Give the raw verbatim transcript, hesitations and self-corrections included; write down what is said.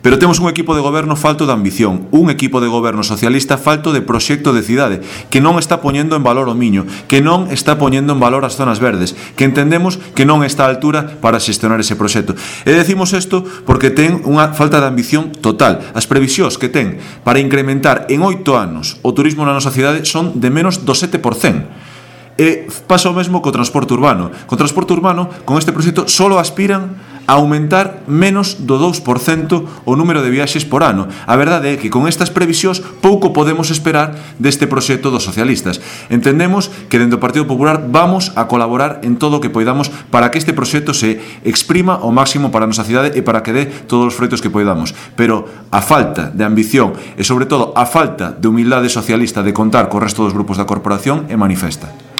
Pero temos un equipo de goberno falto de ambición, un equipo de goberno socialista falto de proxecto de cidade, que non está poñendo en valor o Miño, que non está poñendo en valor as zonas verdes, que entendemos que non está a altura para xestionar ese proxecto. E decimos isto porque ten unha falta de ambición total. As previsións que ten para incrementar en oito anos o turismo na nosa cidade son de menos do sete por cento. E pasa o mesmo co transporte urbano. Co transporte urbano, con este proxecto, só aspiran a aumentar menos do dous por cento o número de viaxes por ano. A verdade é que con estas previsións pouco podemos esperar deste proxecto dos socialistas. Entendemos que dentro do Partido Popular vamos a colaborar en todo o que poidamos para que este proxecto se exprima ao máximo para a nosa cidade e para que dé todos os froitos que poidamos. Pero a falta de ambición e, sobre todo, a falta de humildade socialista de contar co resto dos grupos da corporación é manifesta.